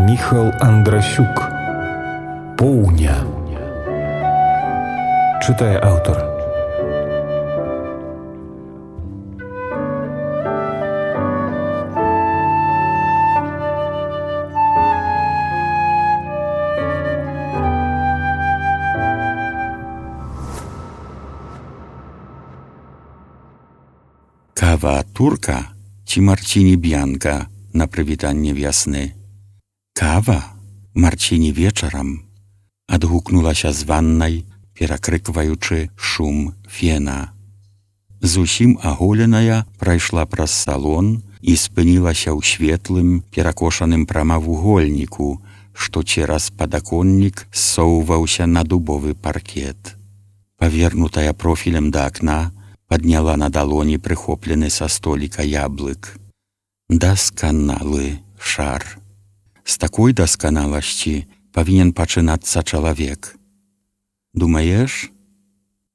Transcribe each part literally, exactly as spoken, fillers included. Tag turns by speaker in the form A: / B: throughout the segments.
A: Міхал Андрасюк. Поўня. Чытае аўтар.
B: Kawa turka ci Marcini Bianka na przywitanie wiosny? Kawa Marcini wieczoram, odhuknula się z wannej, перекрикиваючи шум фена. Зусім аголеная прайшла праз салон і спынілася ў светлым, перакошаным прамавугольніку, што цераз падаконнік ссоўваўся на дубовы паркет. Павернутая профілем да акна, падняла на далоні прыхоплены са століка яблык. Дасканалы шар. З такой дасканаласці павінен пачынацца чалавек. Думаеш?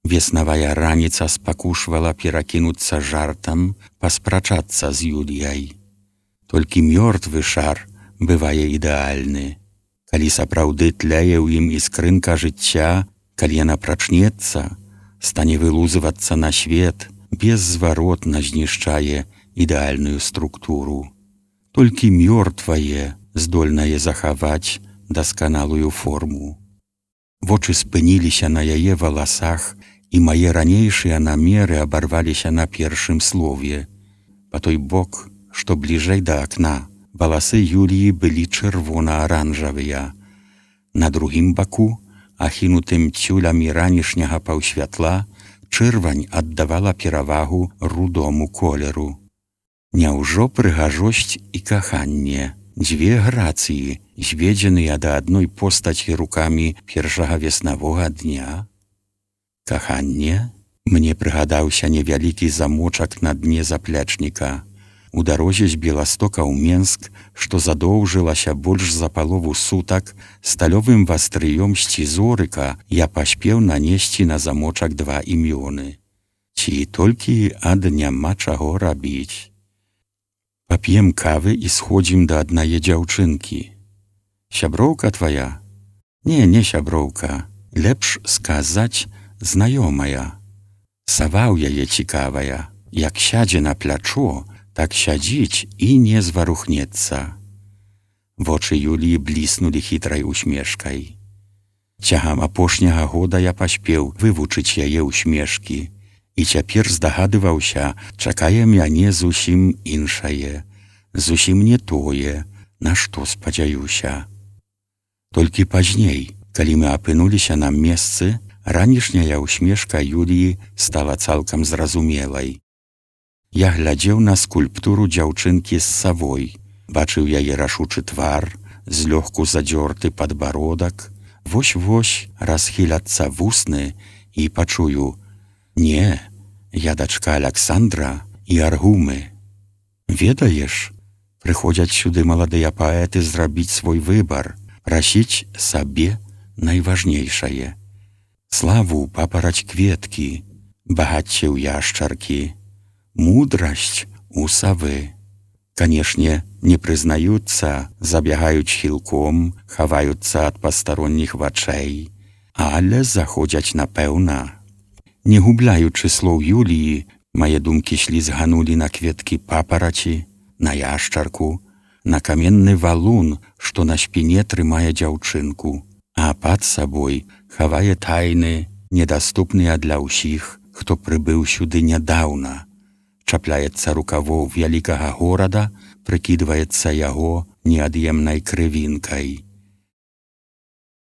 B: Веснавая раніца спакушвала перакінуцца жартам, паспрачацца з Юліяй. Толькі мёртвы шар бывае ідэальны. Калі сапраўды тляе ў ім іскрынка жыцця, калі яна прачнецца, стане вылузывацца на свет, беззваротна знішчае ідэальную структуру. Толькі мёртвае здольнае захаваць дасканалую форму. Вочы спыніліся на яе валасах, і мае ранейшыя намеры абарваліся на першым слове. Па той бок, што бліжэй да акна, валасы Юліі былі чырвона-аранжавыя. На другім баку, ахінутым цюлямі ранішняга паўсвятла, чырвань аддавала перавагу рудому колеру. Няўжо прыгажосць і каханне, дзве грацыі, зведзеныя да адной постаці рукамі першага веснавога дня? Каханне? Мне прыгадаўся невялікі замочак на дне заплечніка. У дарозе з Беластока ў Менск, што задоўжылася больш за палову сутак, сталёвым вастрыём сцізорыка я паспеў нанесці на замочак два імёны. Ці толькі ад няма чаго рабіць. Пап'ем кавы і сходзім да аднае дзяўчынкі. Сяброўка твая? Не, не сяброўка. Лепш сказаць знаёмая. Сава ў яе цікавая. Як сядзе на плячо, так сядзіць і не зварухнецца. Вочы Юліі бліснулі хітрай усмешкай. Цягам апошняга года я паспеў вывучыць яе усмешкі, і цяпер здагадываўся, чакае мяне зусім іншае, зусім не тое, на што спадзяюся. Толькі пазней, калі мы апынуліся на месцы, ранішняя усмешка Юліі стала цалкам зразумелай. Я глядзеў на скульптуру дзяўчынкі з савой, бачыў яе рашучы твар, злёгку задзёрты падбародак, вось-вось расхіляцца вусны і пачую: «Не, я дачка Аляксандра і Аргумы». Ведаеш, прыходзяць сюды маладыя паэты зрабіць свой выбар, прасіць сабе найважнейшае. Славу папараць кветкі, багацце ў яшчаркі, мудрасць у савы. Канешне, не прызнаюцца, забягаюць хілком, хаваюцца ад пастаронніх вачэй, але заходзяць напэўна. Не губляючы слоў Юліі, мае думкі слізганулі на кветкі папараці, на яшчарку, на каменны валун, што на спіне трымае дзяўчынку, а пад сабой хавае тайны, недаступныя для ўсіх, хто прыбыў сюды нядаўна. Чапляецца рукавоў вялікага горада, прыкідваецца яго неад'емнай крывінкай.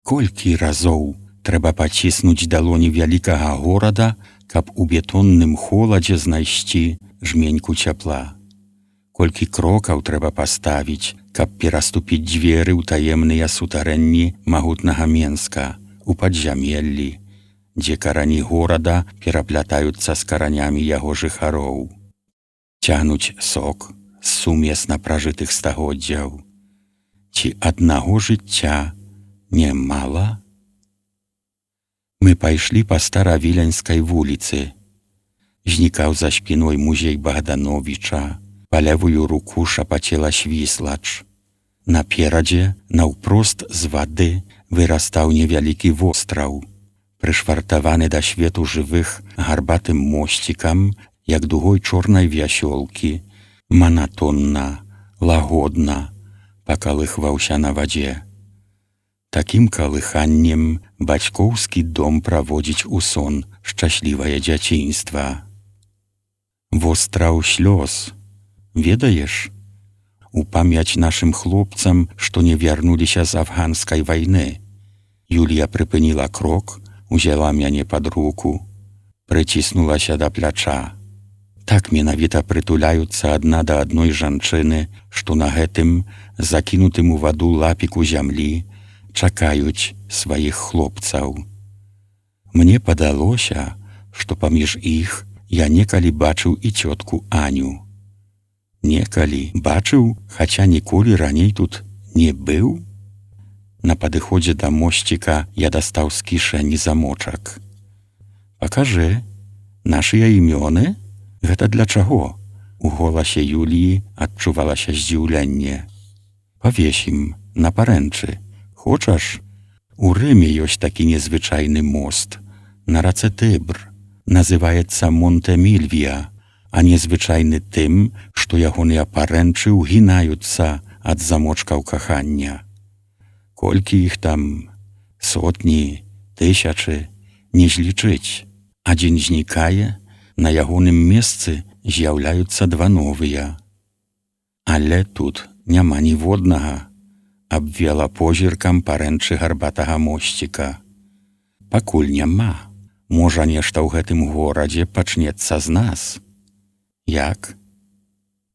B: Колькі разоў трэба паціснуць далоні вялікага горада, каб у бетонным холадзе знайсці жменьку цяпла. Колькі крокаў трэба паставіць, каб пераступіць дзверы ў таемныя сутарэнні магутнага Менска, у падзямеллі, дзе карані горада пераплятаюцца з каранямі яго жыхароў. Цягнуць сок з сумесна пражытых стагоддзяў. Ці аднаго жыцця не мала? Мы пайшлі па Старавіленскай вуліцы. Знікаў за спіной музей Богдановича, па левую руку шапацела Свіслач. Наперадзе, наўпрост з вады, вырастаў невялікі востраў, прышвартаваны да свету жывых гарбатым мосцікам, як дугой чорнай вясёлкі, манатонна, лагодна пакалыхваўся на вадзе. Такім калыханнем бацькоўскі дом праводзіць у сон шчаслівае дзяцінства. Востраў слёз, ведаеш? У памяць нашым хлопцам, што не вярнуліся з афганскай вайны. Юлія прыпыніла крок, узяла мяне пад руку, прыціснулася да пляча. Так менавіта прытуляюцца адна да адной жанчыны, што на гэтым закінутым у ваду лапіку зямлі чакаюць сваіх хлопцаў. Мне падалося, што паміж іх я некалі бачыў і цётку Аню. Некалі бачыў, хаця ніколі раней тут не быў. На падыходзе да мосціка я дастаў з кішэні замочак. «Пакажы, нашыя імёны? Гэта для чаго?» У голасе Юліі адчувалася здзіўленне. «Павесім на парэнчы. Хочаш? У Рыме ёсць такі незвычайны мост на рацэ Тыбр. Называецца Монтэмільвія, а незвычайны тым, што ягоныя парэнчы ўгінаюцца ад замочкаў кахання. Колькі іх там? Сотні, тысячы, не злічыць. Адзін знікае, на ягоным месцы з'яўляюцца два новыя. Але тут няма ніводнага», абвела позіркам парэнчы гарбатага мосціка. «Пакуль няма. Можа, нешта ў гэтым горадзе пачнецца з нас». «Як?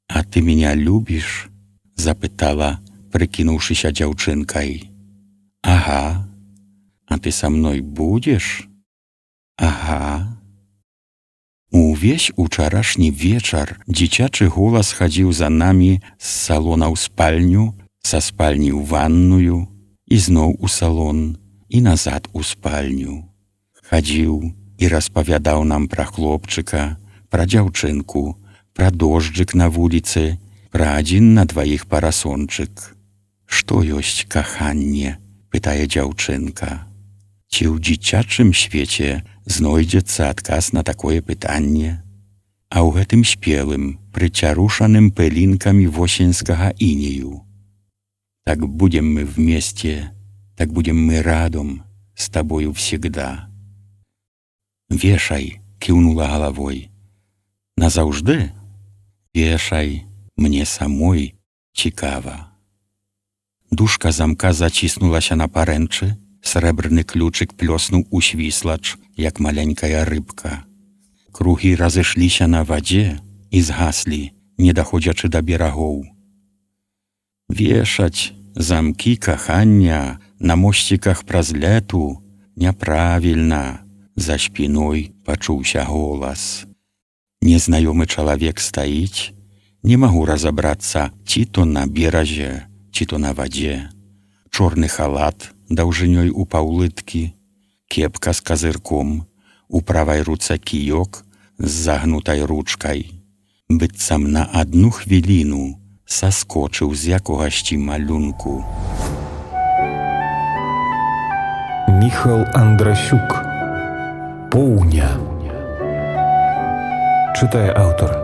B: А ты меня любіш?» запытала, прыкінуўшыся дзяўчынкай. «Ага. А ты са мной будзеш?» «Ага». Увесь учарашні вечар дзіцячы голас хадзіў за намі з салона ў спальню, са спальні ў ванную, і зноў у салон, і назад у спальню. Хадзіў і распавядаў нам пра хлопчыка, пра дзяўчынку, пра дожджык на вуліцы, пра адзін на дваіх парасончык. «Што ёсць каханне?» пытае дзяўчынка. Ці ў дзіцячым свеце знойдзецца адказ на такое пытанне? А ў гэтым спелым, прыцярушаным пылінкамі восеньскага інею. «Так будем мы вместе, так будем мы радом, с тобою всегда». «Вешай», кіўнула галавой. «Назаўжды?» «Вешай, мне самой цікава». Дужка замка заціснулася на парэнчы, срэбрны ключык плёснуў у свіслач, як маленькая рыбка. Кругі разышліся на вадзе і згаслі, не даходзячы да берагоў. «Вешаць замкі кахання на мосціках праз лету няправільна», за спіной пачуўся голас. Незнаёмы чалавек стаіць, не магу разабрацца, ці то на беразе, ці то на вадзе. Чорны халат даўжынёй у паўлыткі, кепка з казырком, у правай руцэ кіёк з загнутай ручкай. Быццам на адну хвіліну саскочыў з якогасьці малюнку.
A: Міхал Андрасюк. Поўня. Чытае аўтар.